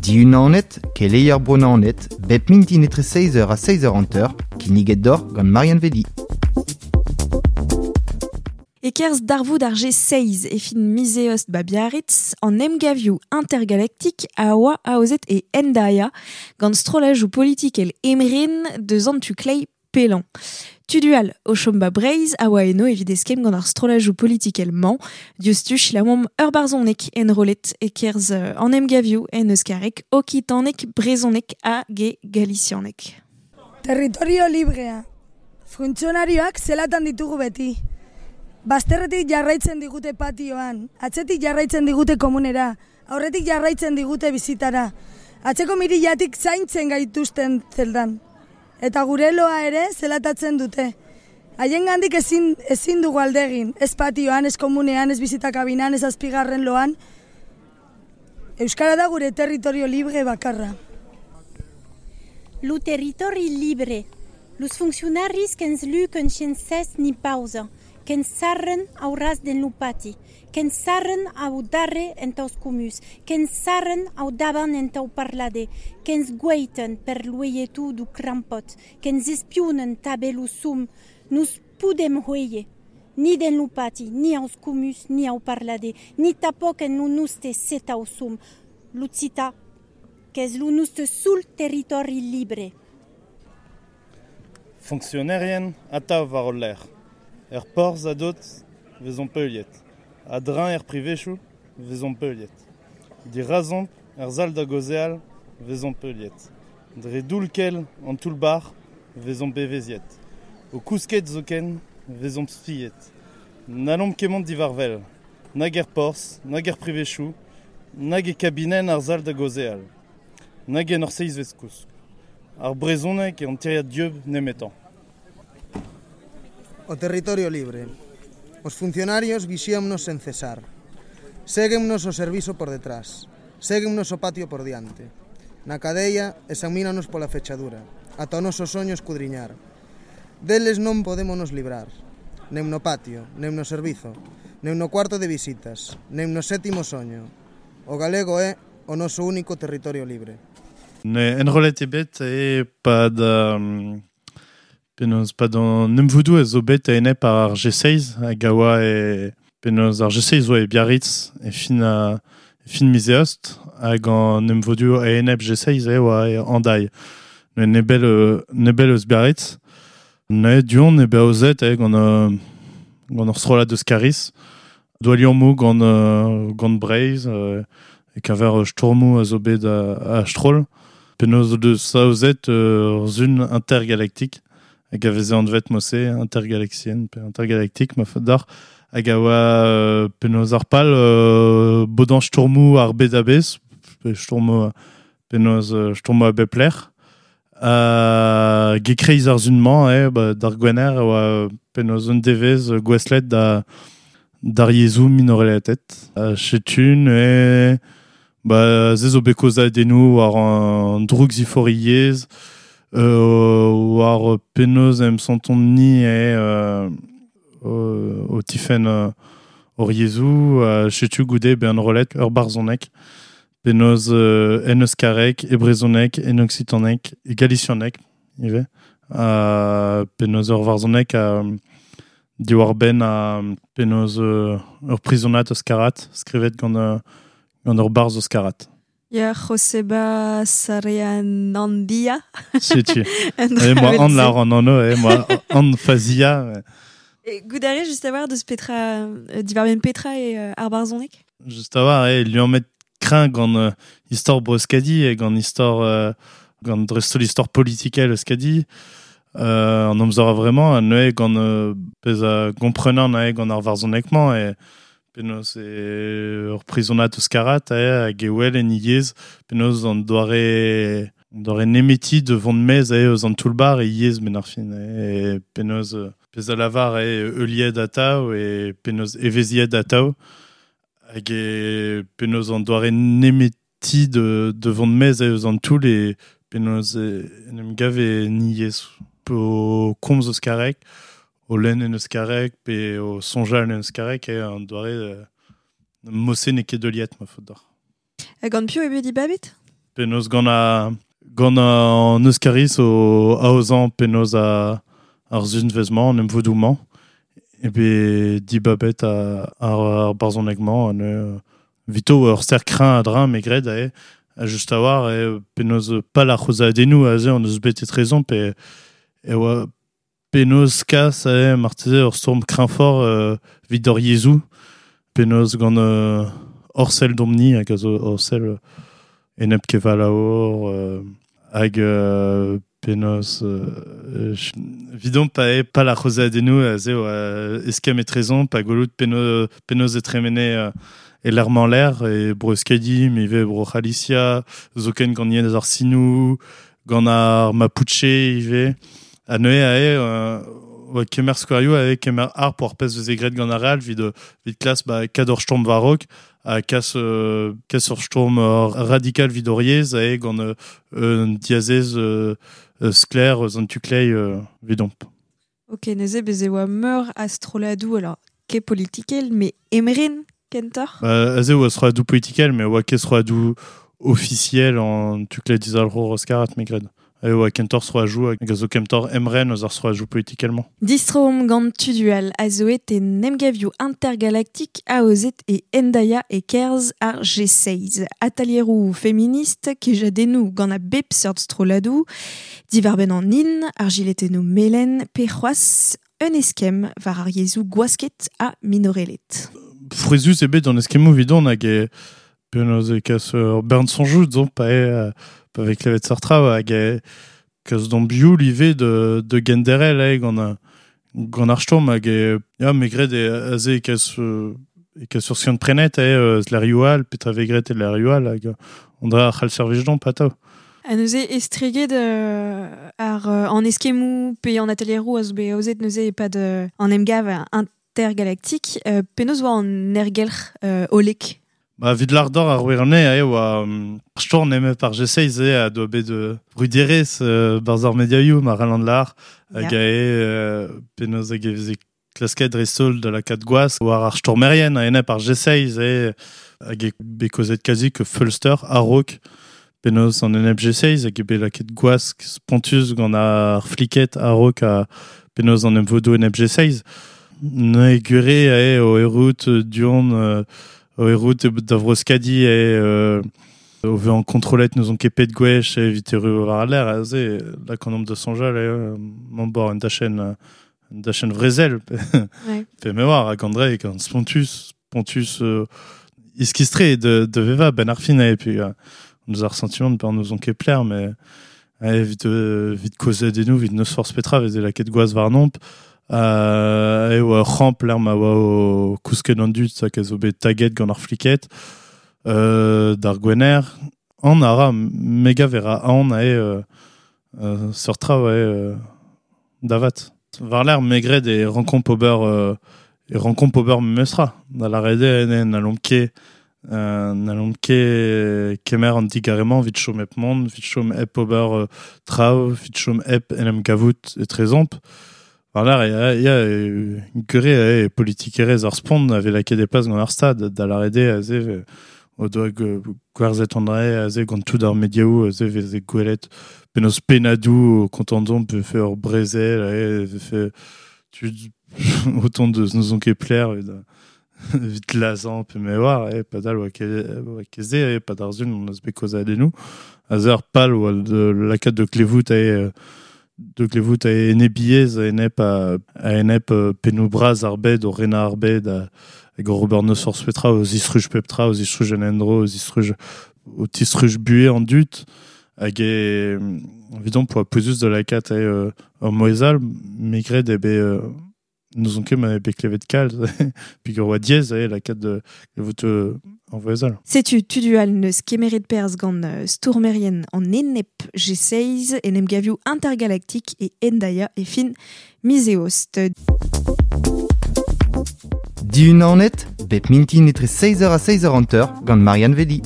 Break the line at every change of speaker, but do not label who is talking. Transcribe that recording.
Diunanet, keleier Bro-Naoned, bep mintin etre 6h ha 6h50, kinniget deoc'h gant Marianne Vedi.
E-kerzh darvoud ar G6 e fin miz Eost ba Biarritz, an emgavioù intergalaktik a oa aozet e Hendaia gant strollajoù politikel emren deus an tu kleiz pellañ. Tudual o chom ba Breizh a oa eno evit eskemm gant ar strollajoù politikel-mañ. Diouzhtu selaouomp ur barzhoneg enrollet e-kerzh an emgavioù en euskareg, okitaneg, brezhoneg hag e galisianeg.
Territorio librea. Funtzionarioak zelatan ditugu beti. Bazterretik jarraitzen digute patioan, atzetik jarraitzen digute komunera, aurretik jarraitzen digute bizitara. Atzeko mirillatik zaintzen gaituzten zeldan. Eta gure loa ere zelatatzen dute. Haiengandik ezin, ezin dugu alde egin, ez patioan, ez komunean, ez bizitakabinan, ez azpigarren loan. Euskara da gure territorio libre bakarra.
Lo territori libre. Los funcionaris que'ns luquen shens cès ni pausa, que'ns sarren au ras den lo pati, que'ns sarren au darre entaus comuns, que'ns sarren au davant entau parlader, que'ns güeiten per l'uelhetu du crampòt, que'ns espionen tabé lo som, nos podem huéier, ni den lo pati, ni aus comuns, ni au parlader, ni tapòc en lo noste setau som. L'occità qu'es lo noste sol territòri libre.
Fonksionerien atav war hol lerc'h. Er porzh a-dot 'vezomp heuliet. A-dreñv er privezioù 'vezomp heuliet. Dirazomp er sal da gaozeal 'vezomp heuliet. Dre doull-kell an toull-bac'h 'vezomp evezhiet. O kousket zoken 'vezomp spiet. N'hallomp ket mont diwar-wel, nag er porzh, nag er privezioù, nag e kabinenn ar sal da gaozeal, nag en hor seizhvet kousk. Ar brezhoneg eo an tiriad dieub nemetañ.
O territorio libre. Os funcionarios vixíannos sen cesar. Séguennos o servizo por detrás. Séguennos o patio por diante. Na cadeia examínanos pola fechadura, ata o noso soño escudriñar. Deles non podémonos librar, nen no patio, nen no servizo, nen no cuarto de visitas, nen no sétimo soño. O galego é o noso único territorio libre.
Ne enrollet eo bet e-pad Penaos pad an emvodoù a zo bet a-enep ar G6 hag a oa e penaos ar G6 oa e Biarritz e fin a, e fin miz Eost hag an emvodoù a-enep G6 e oa e Hendaye. Met nebell nebell eus Biarritz. Neuze du-hont eo bet aozet gant gant ur strollad eus Kariz. Doa liammoù gant gant Breizh e-keñver stourmoù a zo bet a-stroll. Penaos o deus aozet ur sun intergalaktik hag a veze anvet mod-se intergalaxienne pe intergalaktik ma faot deoc'h hag a oa penaos ar pal bodañ stourmoù ar bed a-bezh pe stourmoù penaos stourmoù a bep lec'h. Hag e-kreiz ar sun-mañ eo ba d'ar Gwener e oa penaos un devezh gouestlet da d'ar yezhoù minorelatet. Setu neuze Ba se zo bet kaozadennoù war an droukziforiezh, war penaos em santont-ni eo o tifenn hor yezhoù. Setu goude bezañ enrollet ur barzhoneg penaos en euskareg, e brezhoneg, en oksitaneg, e galisianeg ivez. Penaos ur varzhoneg diwar-benn penaos ur prizonad euskarat skrivet gant Gant ur barzh euskarat.
Ya, Joseba Sarrianandia.
Setu. E moa an lar an anv, e moa an fazia.
E goût a rez just a-walc'h deus petra, diwar-benn petra eo ar barzhoneg?
Just a-walc'h, eo liammet kreñv gant istor Bro-Euskadi e gant istor gant dreist-holl istor politikel Euskadi. An amzer a-vremañ, neuze gant pezh a gomprenan neuze gant ar varzhoneg-mañ e Penaos eo ur prizonad euskarat hag e wel en e yezh penaos an doare an doare nemeti da vont maez eus an toull-bac'h e yezh benn ar fin. E penaos pezh a lavar eo heuliet atav e penaos evezhiet atav hag e penaos an doare nemeti da vont maez eus an toull e penaos en em gav en e yezh. O komz euskareg o lenn en euskareg pe o soñjal en euskareg eo an doare mod-se n'eo ket heuliet ma faot deoc'h.
Ha gant piv eo bet dibabet?
Penaos gant gant an Euskariz o aozan penaos ar zunvezmañ, an emvodoù-mañ, e be dibabet ar barzhoneg-mañ, an vito ur ster kreñv a-dreñv me gred ae, a just a war e penaos pal ar c'hozadennoù aze an eus bet etrezon pe e oa penaos kas ae marteze ur stourm kreñvfort evit hor yezhoù, penaos gant Orsel domni hag a zo Orsel enep kevalaour hag penaos vidon pa e pal ar c'hozadennoù aze oa eskemm etrezon pa gwelout penaos e tremene e l'ermañ l'air e bro Euskadi me ivez bro C'halicia zoken gant yen ar sinou gant ar Mapuche ivez ha neuze ae oa kemer skouerioù ae kemer ar pour ar pezh eus e graet gant ar real evit klas ba kad ur stourm varok ha kas ur stourm radikal evit hor yezh ae gant un diazez sklaer eus an tu-klei evidomp.
Ok, neuze bez e oa meur a strolladoù alors ket politikel mais emren kentoc'h?
Aze oa strolladoù politikel mais oa ket strolladoù officiel en tu-klei dizalc'hour Euskarat me gred. E oa kentor stroajoù hag a zo kentor emren eus ar stroajoù politikelmañ.
Distrom gant tudual a zo et e nemgavioù intergalaktik aozet e Hendaia e kerz ar G6. Atalieroù feminist kejadennoù gant a bep seurt strolladoù, divarbenn an in, ar giletennoù melen, pe c'hoazh un eskemm war ar yezhoù gwasket ha minorelet.
Frouezhus eo bet an eskemmoù evidon hag e penaos e kas ur bern soñjoù zo pa eo pa vez klevet seurt traoù hag e kas d'an bioul ivez de genderel eo gant ar stourm hag e ya me gred e aze e kas ur skiant prenet eo eus l'erioù all petra vez graet e l'erioù all hag on dra ar c'hall servij d'omp atav.
Ha neuze estreget ar an eskemmoù pe an atelieroù a zo bet aozet neuze e-pad an emgav intergalaktik penaos oa an ergelc'h hollek?
Ba, evit l'ardor ar wirne ae oa storn eme par G6 e a doa bet bruderez barzh ar mediaioù ma ralant l'ar hag ae penaos hag e veze klasket dreist-holl da lakaat gwaz war ar stormerien a enep ar G6 e hag e bet kozet kazi ke feulster a-raok penaos an enep G6 hag e bet lakaet gwask spontus gant ar fliket a-raok a penaos an emvodoù enep G6. Neuze gure ae o errout du-hont o errout da Vro-Euskadi e o vezañ kontrollet n'eus ket pet gwech evit erru war al lec'h aze lak an omp da soñjal eo mañ bor un dachenn vrezel pe me oar hag André gant spontus iskistre de vevañ ben ar fin e puis on nous a ressentiment de nous on ket plaire mais evit kozet eno evit neus forzh petra veze lakaet gwaz warnomp e oa c'hamp l'er ma oa o kousket an dud hag a zo bet taget gant ar fliket d'ar gwener an a ra mega vera an ae seurt traoù ae davat. War l'er megred e renkomp ober memestra da la rede n'allomp ket kemer an digaremañ evit chom hep mont, evit chom hep ober traoù, evit chom hep en em gavout etrezomp. War l'er ya gure e politikerez ar spont a vez lakaet e plas gant ar stad da la rede aze o doa gwerzhet an dre aze gant tout ar mediaoù aze veze gwelet penaos pennadoù kontandon pe fe ur brezel ae fe tud autant de nous on ket plaire evit lazan pe me war e padal oa ket e pad ar zun on eus bet kozad eno aze ar pal oa de lakaat de klevout ae de klevout a enebiez a enep pennoù bras ar bed o renañ ar bed hag o ober neus forzh petra o zistruj pep tra o zistruj an endro o zistruj o tistruj buhez an dud hag e evidon poa pouezus da lakaat ae ur moezal me gred eo bet n'eus ket ma bet klevet kalz peogwir oa diaes ae lakaat de klevout an voezal.
Setu tudual neus kemeret perzh gant stourmerien an enep G6 en emgavioù intergalaktik e Hendaia e fin miz eost.
Dihunanet, bep mintin etre 6h ha 6h50 gant Marianne Vedi.